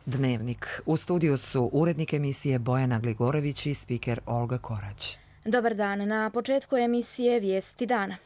Dnevnik. U studiju su urednik emisije Bojana Gligorević i spiker Olga Korać. Dobar dan. Na početku emisije Vijesti dana.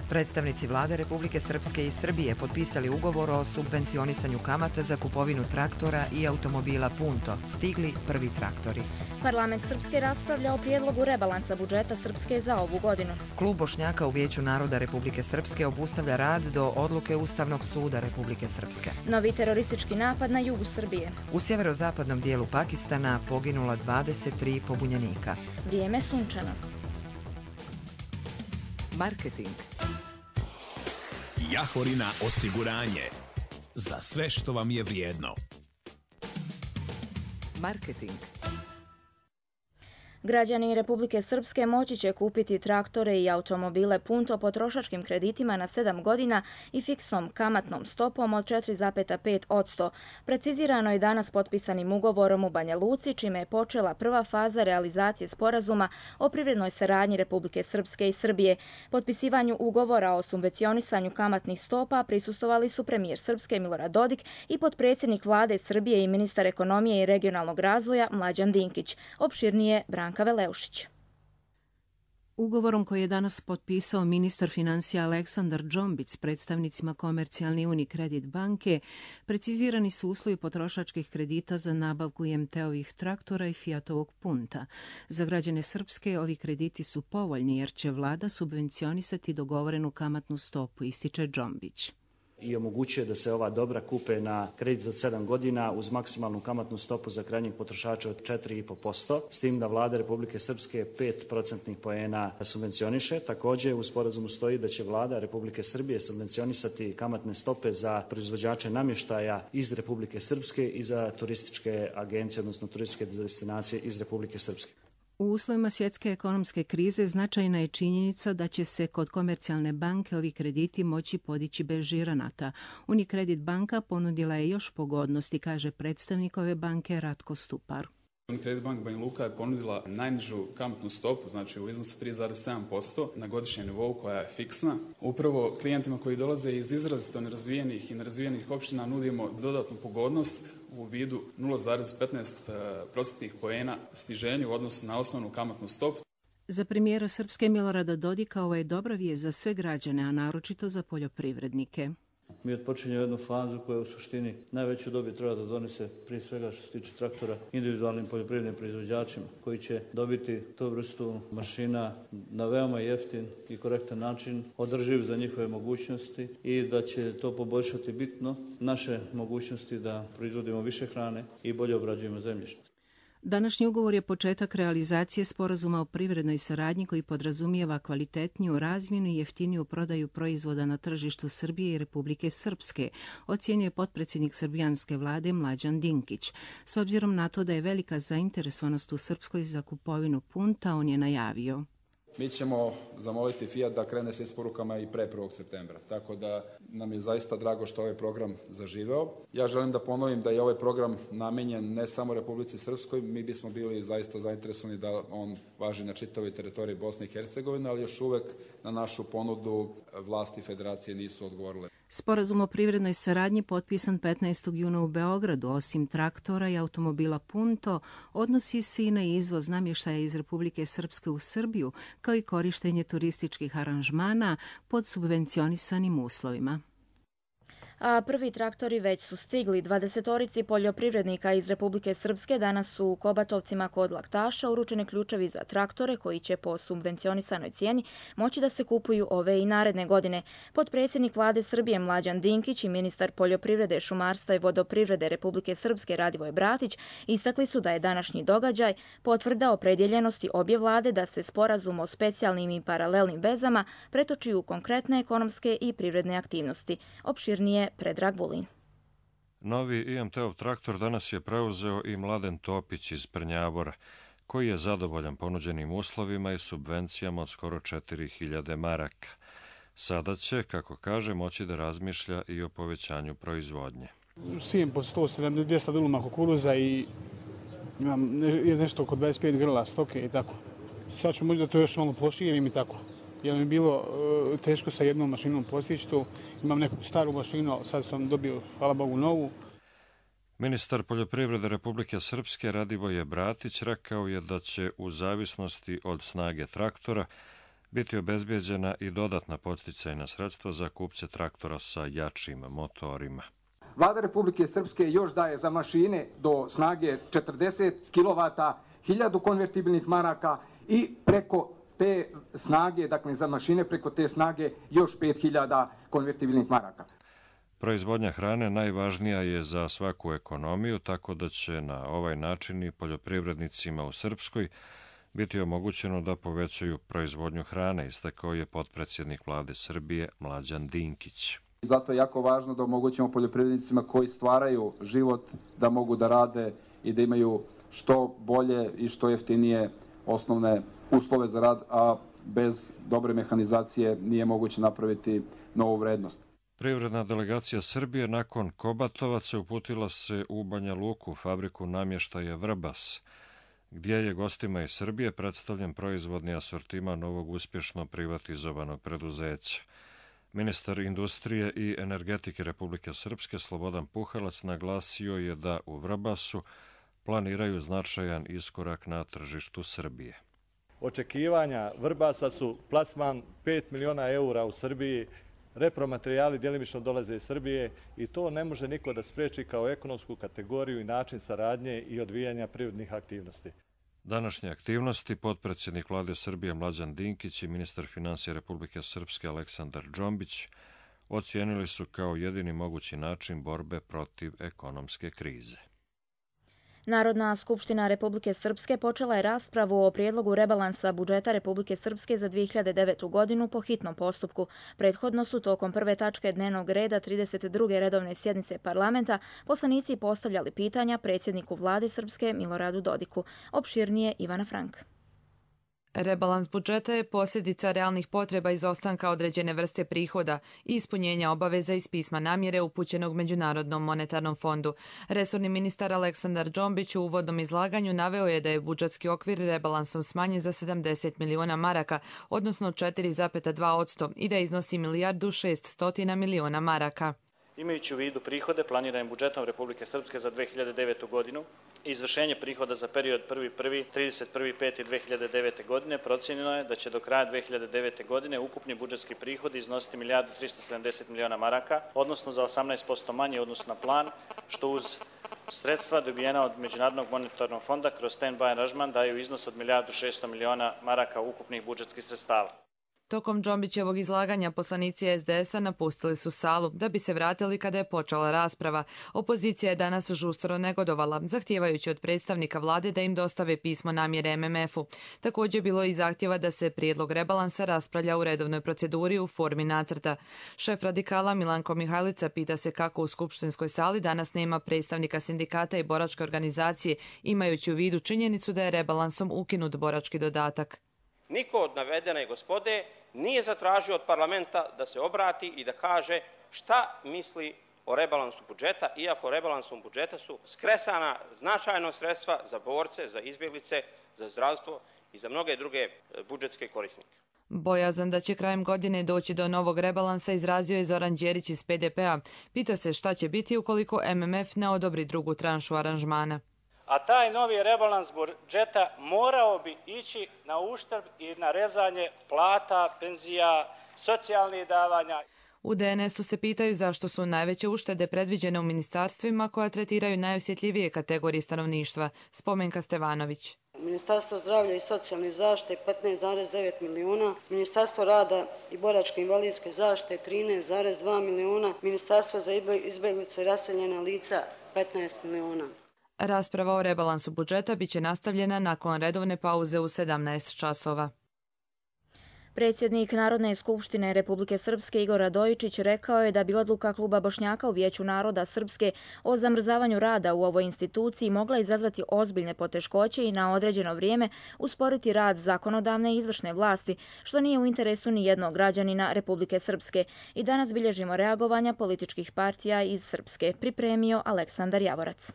Predstavnici vlade Republike Srpske i Srbije potpisali ugovor o subvencionisanju kamata za kupovinu traktora i automobila Punto. Stigli prvi traktori. Parlament Srpske raspravlja o prijedlogu rebalansa budžeta Srpske za ovu godinu. Klub Bošnjaka u Vijeću naroda Republike Srpske obustavlja rad do odluke Ustavnog suda Republike Srpske. Novi teroristički napad na jugu Srbije. U sjeverozapadnom dijelu Pakistana poginula 23 pobunjenika. Vrijeme sunčano. Marketing. Jahorina osiguranje. Za sve što vam je vrijedno. Marketing. Građani Republike Srpske moći će kupiti traktore i automobile Punto potrošačkim kreditima na 7 godina i fiksnom kamatnom stopom od 4,5%. Precizirano je danas potpisanim ugovorom u Banja Luci, čime je počela prva faza realizacije sporazuma o privrednoj saradnji Republike Srpske i Srbije. Potpisivanju ugovora o subvencionisanju kamatnih stopa prisustvovali su premijer Srpske Milorad Dodik i potpredsjednik vlade Srbije i ministar ekonomije i regionalnog razvoja Mlađan Dinkić. Opširnije Branka Veleušić. Ugovorom koji je danas potpisao ministar financija Aleksandar Džombić s predstavnicima Komercijalne Unikredit banke, precizirani su uslovi potrošačkih kredita za nabavku IMT-ovih traktora i Fiatovog Punta. Za građane Srpske ovi krediti su povoljni jer će vlada subvencionisati dogovorenu kamatnu stopu, ističe Džombić. I omogućuje da se ova dobra kupe na kredit od 7 godina uz maksimalnu kamatnu stopu za krajnjeg potrošača od 4,5%, s tim da vlada Republike Srpske 5% poena subvencioniše. Također u sporazumu stoji da će vlada Republike Srbije subvencionisati kamatne stope za proizvođače namještaja iz Republike Srpske i za turističke agencije, odnosno turističke destinacije iz Republike Srpske. U uslovima svjetske ekonomske krize značajna je činjenica da će se kod Komercijalne banke ovi krediti moći podići bez žiranata. Unikredit banka ponudila je još pogodnosti, kaže predstavnik ove banke Ratko Stupar. Unikredit banka Banja Luka je ponudila najnižu kamatnu stopu, znači u iznosu 3,7% na godišnjem nivou koja je fiksna. Upravo klijentima koji dolaze iz izrazito nerazvijenih i nerazvijenih opština nudimo dodatnu pogodnost u vidu 0,15% poena stiženja u odnosu na osnovnu kamatnu stopu. Za premijera Srpske Milorada Dodika ovo je dobra vijest za sve građane, a naročito za poljoprivrednike. Mi odpočinjemo jednu fazu koja u suštini najveću dobit treba da donese prije svega što se tiče traktora individualnim poljoprivrednim proizvođačima koji će dobiti tu vrstu mašina na veoma jeftin i korektan način, održiv za njihove mogućnosti i da će to poboljšati bitno naše mogućnosti da proizvodimo više hrane i bolje obrađujemo zemljište. Današnji ugovor je početak realizacije sporazuma o privrednoj saradnji koji podrazumijeva kvalitetniju razmjenu i jeftiniju prodaju proizvoda na tržištu Srbije i Republike Srpske, ocjenjuje potpredsjednik srbijanske vlade Mlađan Dinkić. S obzirom na to da je velika zainteresovanost u Srpskoj za kupovinu Punta, on je najavio. Mi ćemo zamoliti Fiat da krene sa isporukama i pre 1. septembra, tako da nam je zaista drago što ovaj program zaživeo. Ja želim da ponovim da je ovaj program namenjen ne samo Republici Srpskoj, mi bismo bili zaista zainteresovani da on važi na čitavoj teritoriji Bosne i Hercegovine, ali još uvek na našu ponudu vlasti federacije nisu odgovorile. Sporazum o privrednoj saradnji potpisan 15. juna u Beogradu, osim traktora i automobila Punto, odnosi se i na izvoz namještaja iz Republike Srpske u Srbiju, kao i korištenje turističkih aranžmana pod subvencionisanim uslovima. A prvi traktori već su stigli. 20-orici poljoprivrednika iz Republike Srpske danas su u Kobatovcima kod Laktaša uručeni ključevi za traktore koji će po subvencionisanoj cijeni moći da se kupuju ove i naredne godine. Potpredsjednik vlade Srbije Mlađan Dinkić i ministar poljoprivrede, šumarstva i vodoprivrede Republike Srpske Radivoj Bratić istakli su da je današnji događaj potvrda opredjeljenosti obje vlade da se sporazum o specijalnim i paralelnim vezama pretoči u konkretne ekonomske i privredne aktivnosti. Opširnije Predrag Vulin. Novi IMT-ov traktor danas je preuzeo i Mladen Topić iz Prnjavora, koji je zadovoljan ponuđenim uslovima i subvencijama od skoro 4000 maraka. Sada će, kako kaže, moći da razmišlja i o povećanju proizvodnje. Sijem pod 170-200 duluma kukuruza i imam nešto oko 25 grla stoke i tako. Sad ću moći da to još malo proširim i tako. jer mi je bilo teško sa jednom mašinom postići to. Imam neku staru mašinu, sad sam dobio, hvala Bogu, novu. Ministar poljoprivrede Republike Srpske Radivoje Bratić rekao je da će u zavisnosti od snage traktora biti obezbijeđena i dodatna podsticajna sredstva za kupce traktora sa jačim motorima. Vlada Republike Srpske još daje za mašine do snage 40 kW 1000 konvertibilnih maraka i preko te snage, dakle za mašine preko te snage još 5000 konvertibilnih maraka. Proizvodnja hrane najvažnija je za svaku ekonomiju, tako da će na ovaj način i poljoprivrednicima u Srpskoj biti omogućeno da povećaju proizvodnju hrane, istakao je potpredsjednik Vlade Srbije Mlađan Dinkić. Zato je jako važno da omogućimo poljoprivrednicima koji stvaraju život da mogu da rade i da imaju što bolje i što jeftinije osnovne uslove za rad, a bez dobre mehanizacije nije moguće napraviti novu vrednost. Privredna delegacija Srbije nakon Kobatovaca uputila se u Banja Luku, fabriku namještaja Vrbas, gdje je gostima iz Srbije predstavljen proizvodni asortiman novog uspješno privatizovanog preduzeća. Ministar industrije i energetike Republike Srpske Slobodan Puhalac naglasio je da u Vrbasu planiraju značajan iskorak na tržištu Srbije. Očekivanja Vrbasa su plasman 5 miliona eura u Srbiji, repromaterijali djelimično dolaze iz Srbije i to ne može niko da spriječi kao ekonomsku kategoriju i način saradnje i odvijanja privrednih aktivnosti. Današnje aktivnosti potpredsjednik Vlade Srbije Mlađan Dinkić i ministar financija Republike Srpske Aleksandar Džombić ocijenili su kao jedini mogući način borbe protiv ekonomske krize. Narodna skupština Republike Srpske počela je raspravu o prijedlogu rebalansa budžeta Republike Srpske za 2009. godinu po hitnom postupku. Prethodno su tokom prve tačke dnevnog reda 32. redovne sjednice parlamenta poslanici postavljali pitanja predsjedniku Vlade Srpske Miloradu Dodiku. Opširnije Ivana Frank. Rebalans budžeta je posljedica realnih potreba izostanka određene vrste prihoda i ispunjenja obaveza iz pisma namjere upućenog Međunarodnom monetarnom fondu. Resorni ministar Aleksandar Džombić u uvodnom izlaganju naveo je da je budžetski okvir rebalansom smanjen za 70 miliona maraka, odnosno 4,2% i da iznosi 1.600 miliona maraka. Imajući u vidu prihode planiranim budžetom Republike Srpske za 2009. godinu i izvršenje prihoda za period 1.1.–31.5.2009. godine, procijenjeno je da će do kraja 2009. godine ukupni budžetski prihodi iznositi 1.370 miliona maraka, odnosno za 18% manje odnosno na plan, što uz sredstva dobijena od Međunarodnog monetarnog fonda kroz stand-by aranžman daju iznos od 1.600 miliona maraka ukupnih budžetskih sredstava. Tokom Džombićevog izlaganja poslanici SDS-a napustili su salu da bi se vratili kada je počela rasprava. Opozicija je danas žustro negodovala, zahtijevajući od predstavnika vlade da im dostave pismo namjere MMF-u. Također bilo je i zahtjeva da se prijedlog rebalansa raspravlja u redovnoj proceduri u formi nacrta. Šef radikala Milanko Mihajlica pita se kako u skupštinskoj sali danas nema predstavnika sindikata i boračke organizacije, imajući u vidu činjenicu da je rebalansom ukinut borački dodatak. Niko od navedene gospode nije zatražio od parlamenta da se obrati i da kaže šta misli o rebalansu budžeta, iako rebalansom budžeta su skresana značajno sredstva za borce, za izbjeglice, za zdravstvo i za mnoge druge budžetske korisnike. Bojazan da će krajem godine doći do novog rebalansa izrazio je Zoran Đerić iz PDP-a. Pita se šta će biti ukoliko MMF ne odobri drugu tranšu aranžmana. A taj novi rebalans budžeta morao bi ići na uštrb i na rezanje plata, penzija, socijalnih davanja. U DNS-u se pitaju zašto su najveće uštede predviđene u ministarstvima koja tretiraju najosjetljivije kategorije stanovništva. Spomenka Stevanović. Ministarstvo zdravlja i socijalne zaštite 15,9 miliona, Ministarstvo rada i boračke invalidske zaštite 13,2 miliona, Ministarstvo za izbjeglice i raseljena lica 15 miliona. Rasprava o rebalansu budžeta biće nastavljena nakon redovne pauze u 17 časova. Predsjednik Narodne skupštine Republike Srpske Igor Radojičić rekao je da bi odluka Kluba Bošnjaka u Vijeću naroda Srpske o zamrzavanju rada u ovoj instituciji mogla izazvati ozbiljne poteškoće i na određeno vrijeme usporiti rad zakonodavne i izvršne vlasti, što nije u interesu ni jednog građanina Republike Srpske. I danas bilježimo reagovanja političkih partija iz Srpske, pripremio Aleksandar Javorac.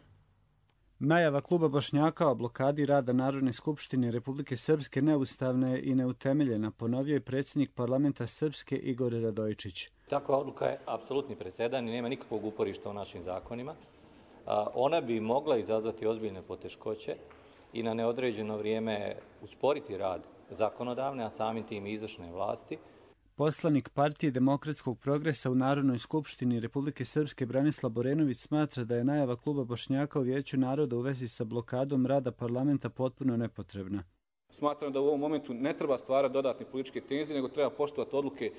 Najava kluba Bošnjaka o blokadi rada Narodne skupštine Republike Srpske neustavna je i neutemeljena, ponovio je predsjednik parlamenta Srpske Igor Radojičić. Takva odluka je apsolutni presedan i nema nikakvog uporišta u našim zakonima. Ona bi mogla izazvati ozbiljne poteškoće i na neodređeno vrijeme usporiti rad zakonodavne, a samim tim i izvršne vlasti. Poslanik Partije demokratskog progresa u Narodnoj skupštini Republike Srpske Branislav Borenović smatra da je najava kluba Bošnjaka u Vijeću naroda u vezi sa blokadom rada parlamenta potpuno nepotrebna. Smatram da u ovom momentu ne treba stvarati dodatne političke tenzije, nego treba poštovati odluke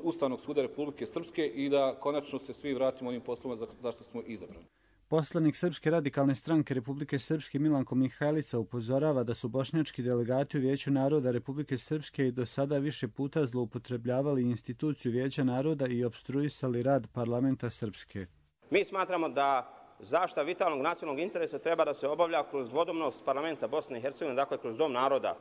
Ustavnog suda Republike Srpske i da konačno se svi vratimo onim poslovima zašto smo izabrani. Poslanik Srpske radikalne stranke Republike Srpske Milanko Mihajlica upozorava da su bošnjački delegati u Vijeću naroda Republike Srpske i do sada više puta zloupotrebljavali instituciju Vijeća naroda i opstruisali rad parlamenta Srpske. Mi smatramo da zaštita vitalnog nacionalnog interesa treba da se obavlja kroz dvodomnost parlamenta Bosne i Hercegovine, dakle kroz Dom naroda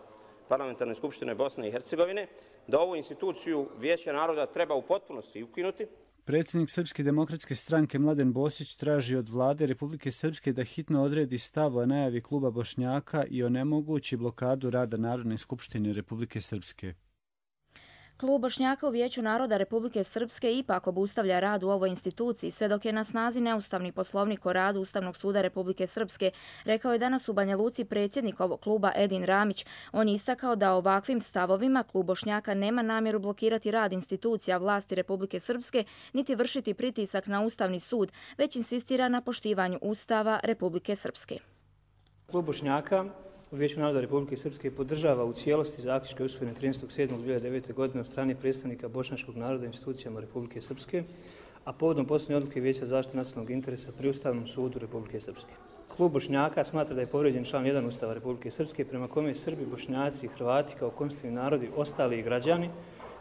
Parlamentarne skupštine Bosne i Hercegovine, da ovu instituciju Vijeća naroda treba u potpunosti ukinuti. Predsjednik Srpske demokratske stranke Mladen Bosić traži od vlade Republike Srpske da hitno odredi stav o najavi kluba Bošnjaka i onemogući blokadu rada Narodne skupštine Republike Srpske. Klub Bošnjaka u Vijeću naroda Republike Srpske ipak obustavlja rad u ovoj instituciji sve dok je na snazi neustavni poslovnik o radu Ustavnog suda Republike Srpske, rekao je danas u Banja Luci predsjednik ovog kluba Edin Ramić. On je istakao da ovakvim stavovima klub Bošnjaka nema namjeru blokirati rad institucija vlasti Republike Srpske niti vršiti pritisak na Ustavni sud, već insistira na poštivanju Ustava Republike Srpske. Klub Bošnjaka u Vijeću naroda Republike Srpske podržava u cijelosti zaključke usvojene 13.7.2009. godine od strane predstavnika bošnjačkog naroda institucijama Republike Srpske, a povodom posljednje odluke Vijeća zaštite nacionalnog interesa pri Ustavnom sudu Republike Srpske. Klub Bošnjaka smatra da je povrijeđen član 1 Ustava Republike Srpske prema kome Srbi, Bošnjaci i Hrvati kao konstitutivni narodi, ostali građani,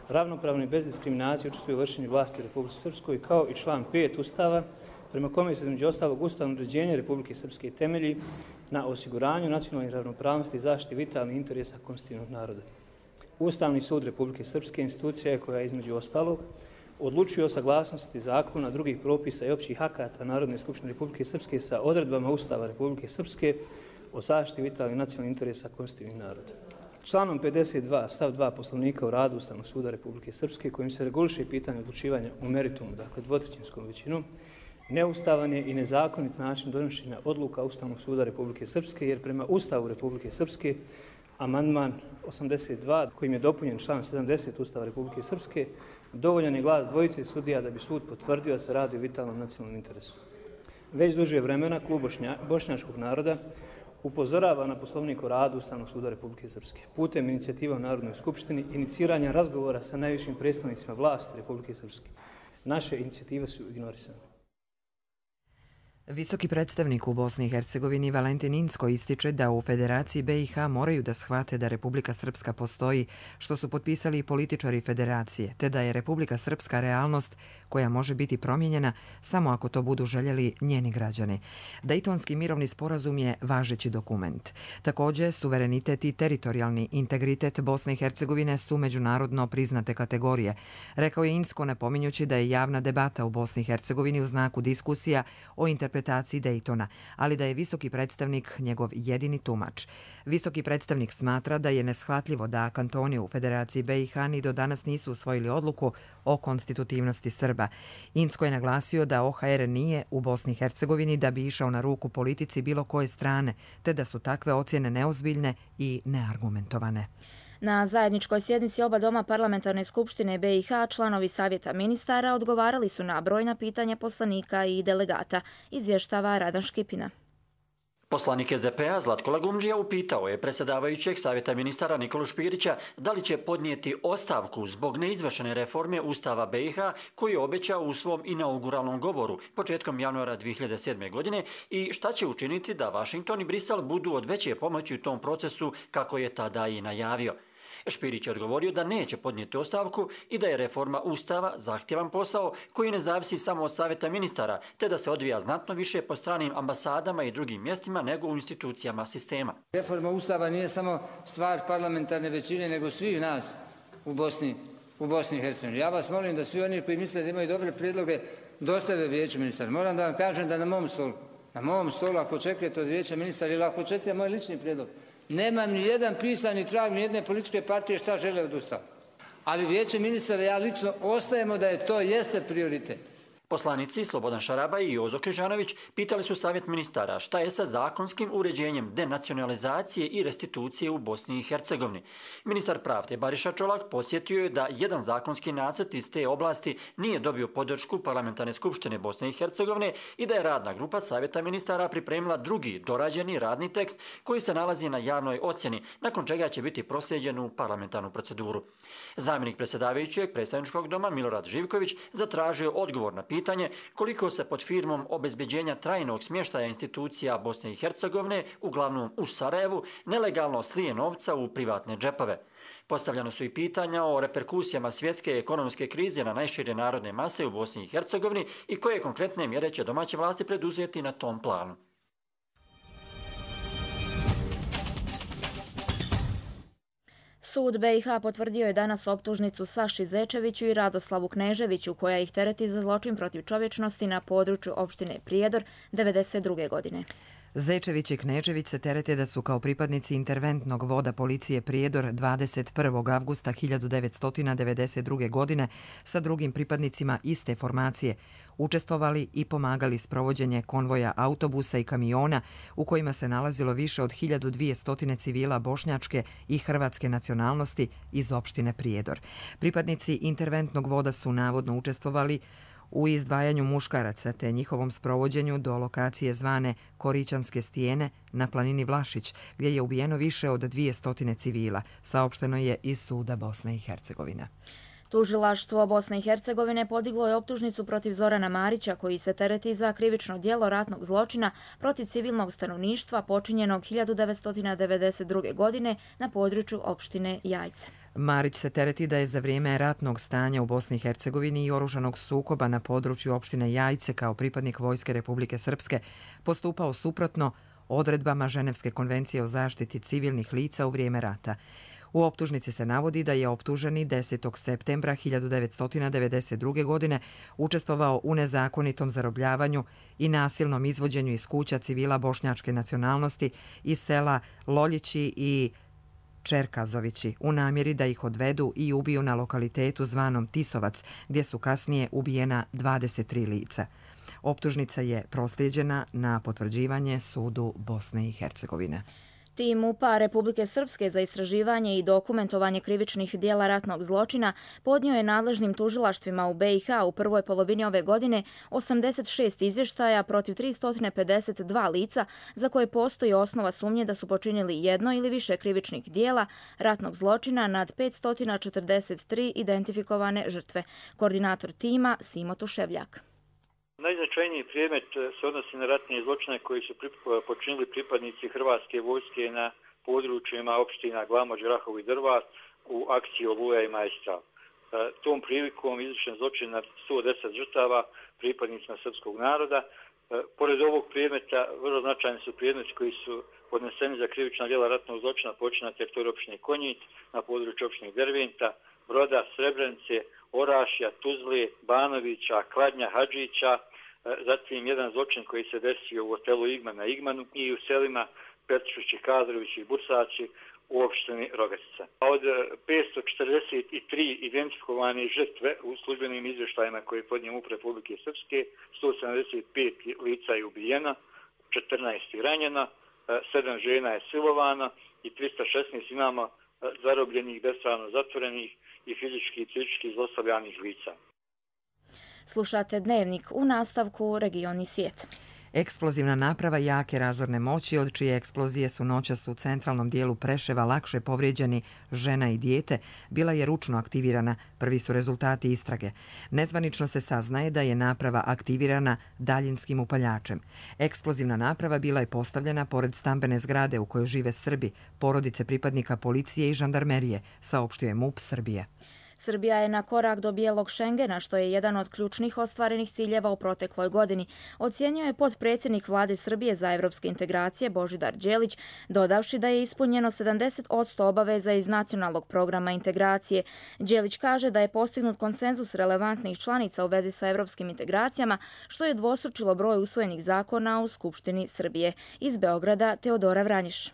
ravnopravno i bez diskriminacije učestvuju u vršenju vlasti u Republike Srpskoj, kao i član 5 Ustava prema kome se između ostalog ustavno uređenje Republike Srpske temelji na osiguranju nacionalnih ravnopravnosti i zaštiti vitalnih interesa konstitutivnog naroda. Ustavni sud Republike Srpske institucija je koja između ostalog odlučuje o saglasnosti zakona, drugih propisa i općih akata Narodne skupštine Republike Srpske sa odredbama Ustava Republike Srpske o zaštiti vitalnih nacionalnih interesa konstitutivnih naroda. Članom 52 stav 2 Poslovnika o radu Ustavnog suda Republike Srpske kojim se reguliše pitanje odlučivanja u meritumu, dakle dvotrećinskom većinom, neustavan je i nezakonit način donošenja odluka Ustavnog suda Republike Srpske, jer prema Ustavu Republike Srpske, amandman 82, kojim je dopunjen član 70 Ustava Republike Srpske, dovoljan je glas dvojice sudija da bi sud potvrdio da se radi o vitalnom nacionalnom interesu. Već duže vremena klub bošnjačkog naroda upozorava na Poslovnik o radu Ustavnog suda Republike Srpske. Putem inicijativa u Narodnoj skupštini, iniciranja razgovora sa najvišim predstavnicima vlasti Republike Srpske. Naše inicijative su ignorisane. Visoki predstavnik u Bosni i Hercegovini Valentin Incko ističe da u Federaciji BiH moraju da shvate da Republika Srpska postoji, što su potpisali i političari Federacije, te da je Republika Srpska realnost koja može biti promijenjena samo ako to budu željeli njeni građani. Dejtonski mirovni sporazum je važeći dokument. Također, suverenitet i teritorijalni integritet Bosne i Hercegovine su međunarodno priznate kategorije, rekao je Incko napominjući da je javna debata u Bosni i Hercegovini u znaku diskusija o interpretaciji Dejtona, ali da je visoki predstavnik njegov jedini tumač. Visoki predstavnik smatra da je neshvatljivo da kantoni u Federaciji BiH ni do danas nisu usvojili odluku o konstitutivnosti Srba. Incko je naglasio da OHR nije u Bosni i Hercegovini da bi išao na ruku politici bilo koje strane, te da su takve ocjene neozbiljne i neargumentovane. Na zajedničkoj sjednici oba doma Parlamentarne skupštine BiH članovi Savjeta ministara odgovarali su na brojna pitanja poslanika i delegata, izvještava Radan Škipina. Poslanik SDP-a Zlatko Lagumdžija upitao je predsjedavajućeg Savjeta ministara Nikolu Špirića da li će podnijeti ostavku zbog neizvršene reforme Ustava BiH koju je obećao u svom inauguralnom govoru početkom januara 2007. godine i šta će učiniti da Vašington i Brisel budu od veće pomoći u tom procesu kako je tada i najavio. Špirić je odgovorio da neće podnijeti ostavku i da je reforma Ustava zahtjevan posao koji ne zavisi samo od Savjeta ministara, te da se odvija znatno više po stranim ambasadama i drugim mjestima nego u institucijama sistema. Reforma Ustava nije samo stvar parlamentarne većine, nego svih nas u Bosni i Hercegovini. Ja vas molim da svi oni koji misle da imaju dobre prijedloge dostave Vijeću ministara. Moram da vam kažem da na mom stolu Na mom stolu, ako očekujete od vijeća ministara ili ako očekujete moj lični prijedlog, nemam ni jedan pisani trag ni jedne političke partije šta žele od Ustava. Ali vijeće ministara, ja lično ostajemo da to jeste prioritet. Poslanici Slobodan Šarabaj i Jozo Križanović pitali su savjet ministara šta je sa zakonskim uređenjem denacionalizacije i restitucije u Bosni i Hercegovini. Ministar pravde Bariša Čolak podsjetio je da jedan zakonski nacrt iz te oblasti nije dobio podršku Parlamentarne skupštine Bosne i Hercegovine i da je radna grupa savjeta ministara pripremila drugi dorađeni radni tekst koji se nalazi na javnoj ocjeni, nakon čega će biti proslijeđen u parlamentarnu proceduru. Zamjenik predsjedavajućeg predstavničkog doma Milorad Živković zatražio odgovor na pitanje koliko se pod firmom obezbeđenja trajnog smještaja institucija Bosne i Hercegovine, uglavnom u Sarajevu, nelegalno slije novca u privatne džepove. Postavljano su i pitanja o reperkusijama svjetske ekonomske krize na najšire narodne mase u Bosni i Hercegovini i koje konkretne mjere će domaće vlasti preduzeti na tom planu. Sud BiH potvrdio je danas optužnicu Saši Zečeviću i Radoslavu Kneževiću, koja ih tereti za zločin protiv čovječnosti na području opštine Prijedor 1992. godine. Zečević i Knežević se terete da su kao pripadnici interventnog voda policije Prijedor 21. avgusta 1992. godine sa drugim pripadnicima iste formacije učestvovali i pomagali sprovođenje konvoja autobusa i kamiona u kojima se nalazilo više od 1200 civila bošnjačke i hrvatske nacionalnosti iz opštine Prijedor. Pripadnici interventnog voda su navodno učestvovali u izdvajanju muškaraca te njihovom sprovođenju do lokacije zvane Korićanske stijene na planini Vlašić, gdje je ubijeno više od 200 civila, saopšteno je iz suda Bosne i Hercegovine. Tužilaštvo Bosne i Hercegovine podiglo je optužnicu protiv Zorana Marića, koji se tereti za krivično djelo ratnog zločina protiv civilnog stanovništva počinjenog 1992. godine na području opštine Jajce. Marić se tereti da je za vrijeme ratnog stanja u Bosni i Hercegovini i oružanog sukoba na području opštine Jajce kao pripadnik Vojske Republike Srpske postupao suprotno odredbama Ženevske konvencije o zaštiti civilnih lica u vrijeme rata. U optužnici se navodi da je optuženi 10. septembra 1992. godine učestvovao u nezakonitom zarobljavanju i nasilnom izvođenju iz kuća civila bošnjačke nacionalnosti iz sela Loljići i Čerkazovići u namjeri da ih odvedu i ubiju na lokalitetu zvanom Tisovac, gdje su kasnije ubijena 23 lica. Optužnica je proslijeđena na potvrđivanje sudu Bosne i Hercegovine. Tim MUP-a Republike Srpske za istraživanje i dokumentovanje krivičnih dijela ratnog zločina podnio je nadležnim tužilaštvima u BiH u prvoj polovini ove godine 86 izvještaja protiv 352 lica za koje postoji osnova sumnje da su počinili jedno ili više krivičnih dijela ratnog zločina nad 543 identifikovane žrtve. Koordinator tima Simo Tuševljak. Najznačajniji predmet se odnosi na ratne zločine koji su počinili pripadnici Hrvatske vojske na područjima opština Glamoč, Grahovo i Drvar u akciji Oluja i Maestral. Tom prilikom izvršen zločin na 110 žrtava pripadnicima srpskog naroda. Pored ovog predmeta, vrlo značajni su predmeti koji su podneseni za krivična djela ratnog zločina počinjena na teritoriju opštine Konjic, na području opštine Derventa, Broda, Srebrenice, Orašja, Tuzle, Banovića, Kladnja, Hadžića, zatim jedan zločin koji se desio u hotelu Igman na Igmanu i u selima Petrišići, Kadrovići i Bursači u opštini Rogatica. Od 543 identifikovane žrtve u službenim izvještajima koje je podnio MUP Republike Srpske, 175 lica je ubijeno, 14 ranjeno, 7 žena je silovano i 316 imamo zarobljenih, bespravno zatvorenih i fizički i psihički zlostavljanih lica. Slušate Dnevnik, u nastavku Regioni svijet. Eksplozivna naprava jake razorne moći, od čije eksplozije su noćas u centralnom dijelu Preševa lakše povrijeđeni žena i dijete, bila je ručno aktivirana. Prvi su rezultati istrage. Nezvanično se saznaje da je naprava aktivirana daljinskim upaljačem. Eksplozivna naprava bila je postavljena pored stambene zgrade u kojoj žive Srbi, porodice pripadnika policije i žandarmerije, saopštio je MUP Srbije. Srbija je na korak do bijelog Šengena, što je jedan od ključnih ostvarenih ciljeva u protekloj godini, ocjenio je potpredsjednik Vlade Srbije za evropske integracije Božidar Đelić, dodavši da je ispunjeno 70% obaveza iz nacionalnog programa integracije. Đelić kaže da je postignut konsenzus relevantnih članica u vezi sa evropskim integracijama, što je dvostručilo broj usvojenih zakona u Skupštini Srbije. Iz Beograda, Teodora Vranjiš.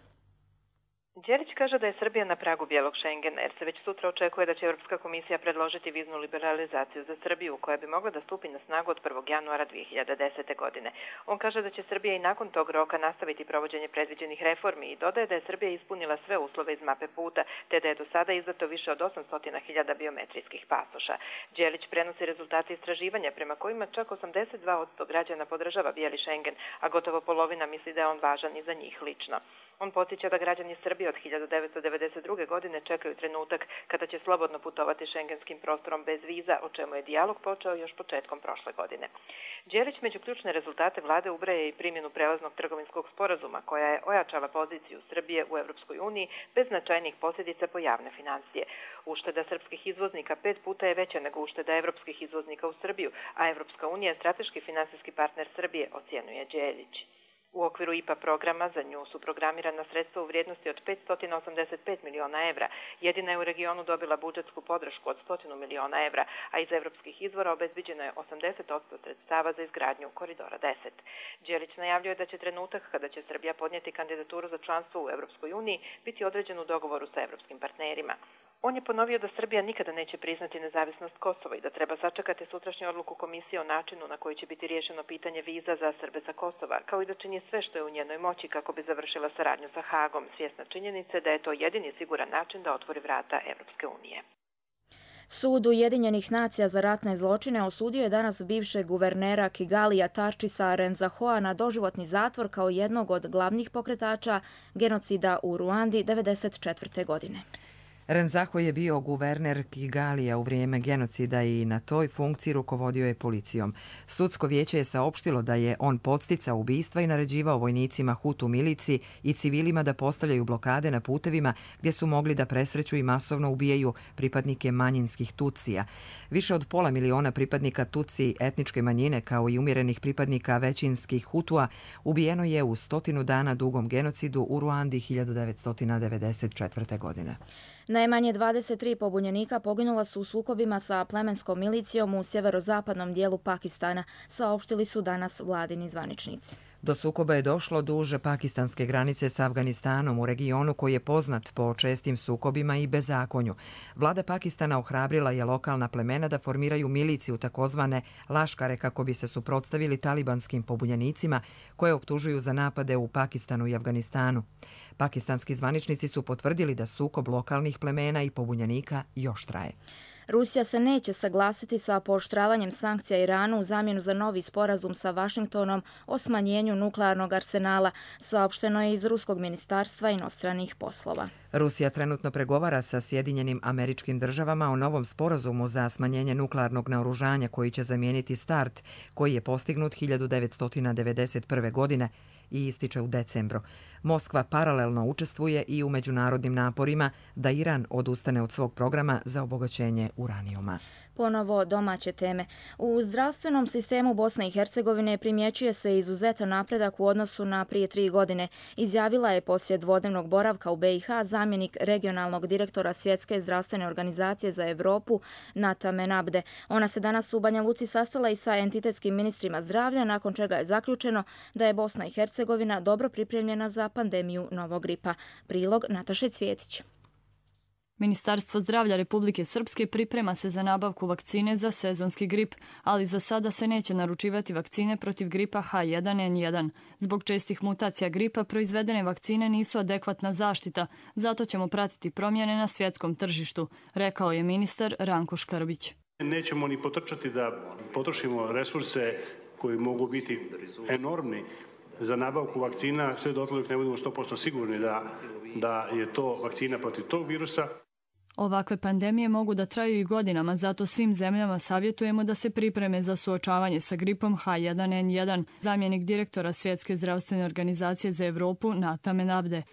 Đelić kaže da je Srbija na pragu bijelog Šengena, jer se već sutra očekuje da će Europska komisija predložiti viznu liberalizaciju za Srbiju, koja bi mogla da stupi na snagu od 1. januara 2010. godine. On kaže da će Srbija i nakon tog roka nastaviti provođenje predviđenih reformi i dodaje da je Srbija ispunila sve uslove iz mape puta, te da je do sada izdato više od 800.000 biometrijskih pasoša. Đelić prenosi rezultate istraživanja prema kojima čak 82% građana podržava bijeli Šengen, a gotovo polovina misli da je on važan i za njih lično. On podsjeća da građani Srbije od 1992. godine čekaju trenutak kada će slobodno putovati šengenskim prostorom bez viza, o čemu je dijalog počeo još početkom prošle godine. Đelić među ključne rezultate vlade ubraja i primjenu prelaznog trgovinskog sporazuma, koja je ojačala poziciju Srbije u Evropskoj uniji bez značajnih posljedica po javne financije. Ušteda srpskih izvoznika 5 puta je veća nego ušteda evropskih izvoznika u Srbiju, a Evropska unija je strateški finansijski partner Srbije, ocjenjuje Đelić. U okviru IPA programa za nju su programirana sredstva u vrijednosti od 585 miliona evra. Jedina je u regionu dobila budžetsku podršku od 100 miliona evra, a iz evropskih izvora obezbiđeno je 80% sredstava za izgradnju koridora 10. Đelić najavljuje da će trenutak kada će Srbija podnijeti kandidaturu za članstvo u Evropskoj uniji biti određen u dogovoru sa evropskim partnerima. On je ponovio da Srbija nikada neće priznati nezavisnost Kosova i da treba sačekati sutrašnju odluku komisije o načinu na koji će biti riješeno pitanje viza za Srbe sa Kosova, kao i da čini sve što je u njenoj moći kako bi završila saradnju sa Hagom, svjesna činjenice da je to jedini siguran način da otvori vrata Evropske unije. Sud Ujedinjenih nacija za ratne zločine osudio je danas bivšeg guvernera Kigalija Tarčisa Renzahoa na doživotni zatvor kao jednog od glavnih pokretača genocida u Ruandi 1994. godine. Renzaho je bio guverner Kigalija u vrijeme genocida i na toj funkciji rukovodio je policijom. Sudsko vijeće je saopštilo da je on podsticao ubistva i naređivao vojnicima Hutu milici i civilima da postavljaju blokade na putevima gdje su mogli da presreću i masovno ubijaju pripadnike manjinskih Tutsija. Više od 500.000 pripadnika Tutsi etničke manjine kao i umjerenih pripadnika većinskih Hutua ubijeno je u 100 dana dugom genocidu u Ruandi 1994. godine. Najmanje 23 pobunjenika poginula su u sukobima sa plemenskom milicijom u sjeverozapadnom dijelu Pakistana, saopštili su danas vladini zvaničnici. Do sukoba je došlo duže pakistanske granice sa Afganistanom u regionu koji je poznat po čestim sukobima i bezakonju. Vlada Pakistana ohrabrila je lokalna plemena da formiraju miliciju takozvane laškare kako bi se suprotstavili talibanskim pobunjenicima koje optužuju za napade u Pakistanu i Afganistanu. Pakistanski zvaničnici su potvrdili da sukob lokalnih plemena i pobunjenika još traje. Rusija se neće saglasiti sa pooštravanjem sankcija Iranu u zamjenu za novi sporazum sa Vašingtonom o smanjenju nuklearnog arsenala, saopšteno je iz Ruskog ministarstva inostranih poslova. Rusija trenutno pregovara sa Sjedinjenim Američkim Državama o novom sporazumu za smanjenje nuklearnog naoružanja koji će zamijeniti START, koji je postignut 1991. godine i ističe u decembru. Moskva paralelno učestvuje i u međunarodnim naporima da Iran odustane od svog programa za obogaćenje uranijuma. Ponovo domaće teme. U zdravstvenom sistemu Bosne i Hercegovine primjećuje se izuzetan napredak u odnosu na prije 3 godine. Izjavila je poslije dvodnevnog boravka u BiH zamjenik regionalnog direktora Svjetske zdravstvene organizacije za Evropu Nata Menabde. Ona se danas u Banja Luci sastala i sa entitetskim ministrima zdravlja, nakon čega je zaključeno da je Bosna i Hercegovina dobro pripremljena za pandemiju novog gripa. Prilog Nataše Cvjetić. Ministarstvo zdravlja Republike Srpske priprema se za nabavku vakcine za sezonski grip, ali za sada se neće naručivati vakcine protiv gripa H1N1. Zbog čestih mutacija gripa proizvedene vakcine nisu adekvatna zaštita, zato ćemo pratiti promjene na svjetskom tržištu, rekao je ministar Ranko Škrbić. Nećemo ni potrčati da potrošimo resurse koji mogu biti enormni za nabavku vakcina, sve dotle dok ne budemo 100% sigurni da je to vakcina protiv tog virusa. Ovakve pandemije mogu da traju i godinama, zato svim zemljama savjetujemo da se pripreme za suočavanje sa gripom H1N1, zamjenik direktora Svjetske zdravstvene organizacije za Evropu Nata Menabde.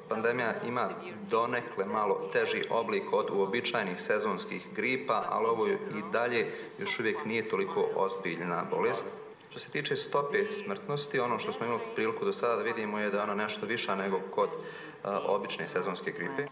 pandemija ima donekle malo teži oblik od uobičajenih sezonskih gripa, ali ovo i dalje još uvijek nije toliko ozbiljna bolest. Što se tiče stope smrtnosti, ono što smo imali priliku do sada da vidimo je da je ona nešto viša nego kod obične sezonske gripe.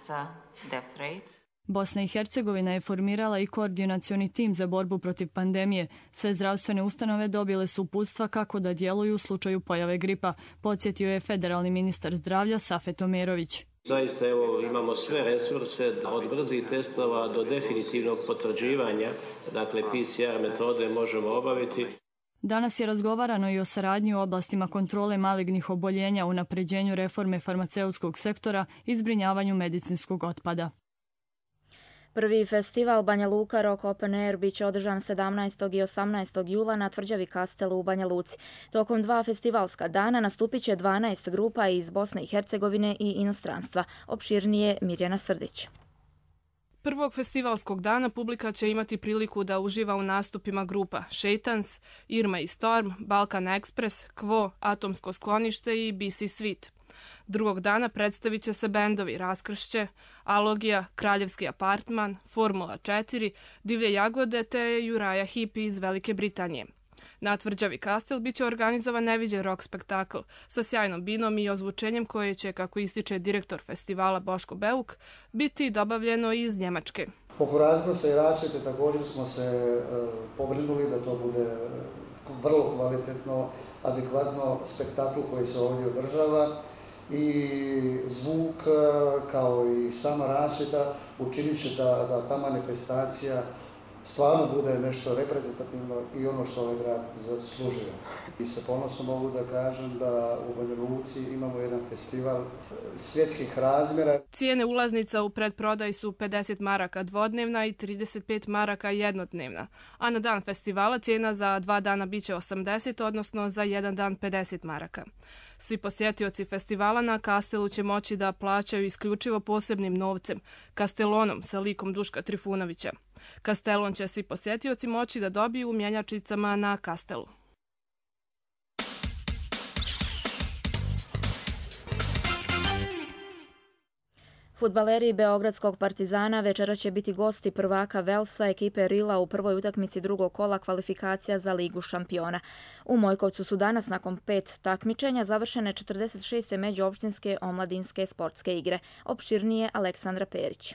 Bosna i Hercegovina je formirala i koordinacioni tim za borbu protiv pandemije. Sve zdravstvene ustanove dobile su uputstva kako da djeluju u slučaju pojave gripa, podsjetio je federalni ministar zdravlja Safet Omerović. Zaista imamo sve resurse od brzih testova do definitivnog potvrđivanja, dakle PCR metode možemo obaviti. Danas je razgovarano i o saradnji u oblastima kontrole malignih oboljenja, unapređenju reforme farmaceutskog sektora i zbrinjavanju medicinskog otpada. Prvi festival Banja Luka Rock Open Air biće održan 17. i 18. jula na tvrđavi Kastelu u Banja Luci. Tokom 2 festivalska dana nastupit će 12 grupa iz Bosne i Hercegovine i inostranstva. Opširnije Mirjana Srdić. Prvog festivalskog dana publika će imati priliku da uživa u nastupima grupa Shaitans, Irma i Storm, Balkan Express, Quo, Atomsko sklonište i BC Sweet. Drugog dana predstavit će se bendovi Raskršće, Alogija, Kraljevski apartman, Formula 4, Divlje jagode te Juraja Hipi iz Velike Britanije. Na tvrđavi Kastel biće organizovan neviđen rock spektakl sa sjajnom binom i ozvučenjem koje će, kako ističe direktor festivala Boško Beuk, biti dobavljeno iz Njemačke. Oko razglasa i rasvjete također smo se pobrinuli da to bude vrlo kvalitetno, adekvatno spektaklu koji se ovdje održava. I zvuk kao i sama rasvjeta učinit će da ta manifestacija stvarno bude nešto reprezentativno i ono što ovaj grad zaslužuje. I sa ponosom mogu da kažem da u Banja Luci imamo jedan festival svjetskih razmjera. Cijene ulaznica u predprodaji su 50 maraka dvodnevna i 35 maraka jednodnevna, a na dan festivala cijena za 2 dana biće 80, odnosno za 1 dan 50 maraka. Svi posjetioci festivala na Kastelu će moći da plaćaju isključivo posebnim novcem, kastelonom sa likom Duška Trifunovića. Kastelon će svi posjetioci moći da dobiju u mjenjačicama na Kastelu. Fudbaleri Beogradskog Partizana večera će biti gosti prvaka Velsa ekipe Rila u prvoj utakmici drugog kola kvalifikacija za Ligu šampiona. U Mojkovcu su danas nakon 5 takmičenja završene 46. međuopštinske omladinske sportske igre. Opširnije Aleksandra Perić.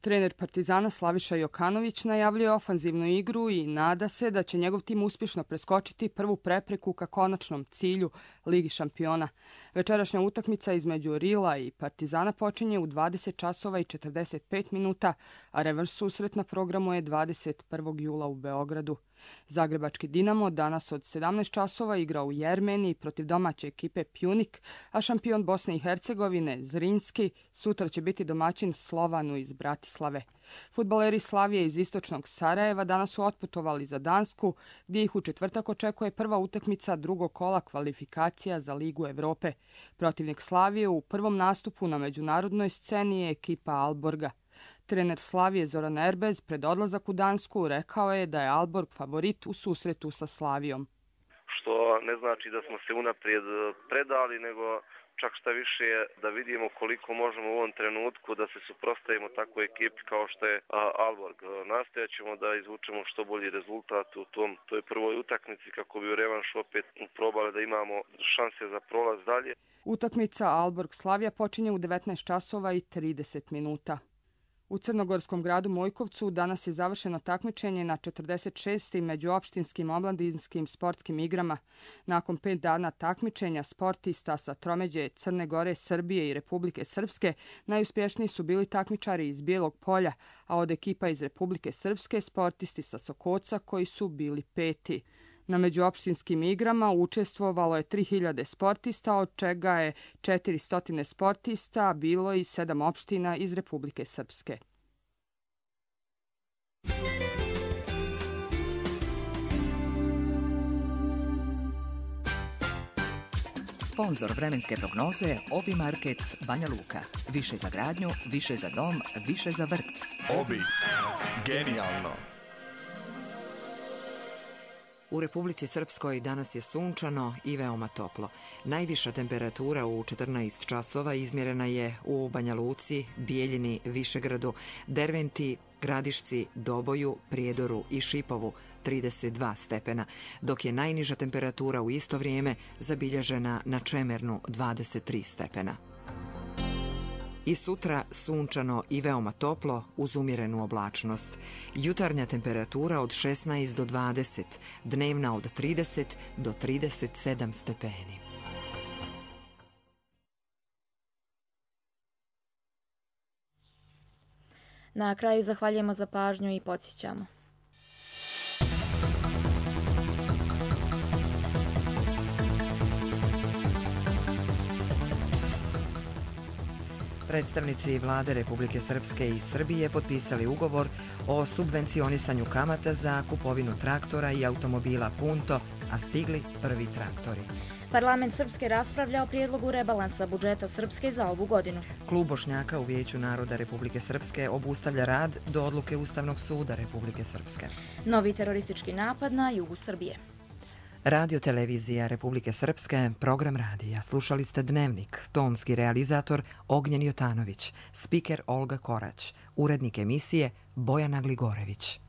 Trener Partizana Slaviša Jokanović najavljuje ofanzivnu igru i nada se da će njegov tim uspješno preskočiti prvu prepreku ka konačnom cilju Ligi šampiona. Večerašnja utakmica između Rila i Partizana počinje u 20 časova i 45 minuta, a revanš susret na programu je 21. jula u Beogradu. Zagrebački Dinamo danas od 17 časova igra u Jermeniji protiv domaće ekipe Pjunik, a šampion Bosne i Hercegovine Zrinski sutra će biti domaćin Slovanu iz Bratislave. Fudbaleri Slavije iz istočnog Sarajeva danas su otputovali za Dansku, gdje ih u četvrtak očekuje prva utakmica drugog kola kvalifikacija za Ligu Evrope. Protivnik Slavije u prvom nastupu na međunarodnoj sceni je ekipa Alborga. Trener Slavije Zoran Erbez pred odlazak u Dansku rekao je da je Alborg favorit u susretu sa Slavijom. Što ne znači da smo se unaprijed predali, nego čak šta više da vidimo koliko možemo u ovom trenutku da se suprotstavimo takvoj ekipi kao što je Alborg. Nastojat ćemo da izvučemo što bolji rezultat u toj prvoj utakmici kako bi u revanšu opet probali da imamo šanse za prolaz dalje. Utakmica Alborg-Slavija počinje u 19 časova i 30 minuta. U crnogorskom gradu Mojkovcu danas je završeno takmičenje na 46. međuopštinskim omladinskim sportskim igrama. Nakon 5 dana takmičenja sportista sa tromeđe Crne Gore, Srbije i Republike Srpske najuspješniji su bili takmičari iz Bijelog Polja, a od ekipa iz Republike Srpske sportisti sa Sokoca koji su bili 5. Na međuopštinskim igrama učestvovalo je 3000 sportista, od čega je 400 sportista bilo iz 7 opština iz Republike Srpske. Sponzor vremenske prognoze Obi Market Banja Luka. Više za gradnju, više za dom, više za vrt. Obi. Genijalno. U Republici Srpskoj danas je sunčano i veoma toplo. Najviša temperatura u 14 časova izmjerena je u Banja Luci, Bijeljini, Višegradu, Derventi, Gradišci, Doboju, Prijedoru i Šipovu 32 stepena, dok je najniža temperatura u isto vrijeme zabilježena na Čemernu 23 stepena. I sutra sunčano i veoma toplo uz umjerenu oblačnost. Jutarnja temperatura od 16 do 20, dnevna od 30 do 37 stepeni. Na kraju zahvaljujemo za pažnju i podsjećamo. Predstavnici vlade Republike Srpske i Srbije potpisali ugovor o subvencionisanju kamata za kupovinu traktora i automobila Punto, a stigli prvi traktori. Parlament Srpske raspravlja o prijedlogu rebalansa budžeta Srpske za ovu godinu. Klub Bošnjaka u Vijeću naroda Republike Srpske obustavlja rad do odluke Ustavnog suda Republike Srpske. Novi teroristički napad na jugu Srbije. Radio televizija Republike Srpske, program radija. Slušali ste Dnevnik, tonski realizator Ognjen Jotanović, spiker Olga Korać, urednik emisije Bojana Gligorević.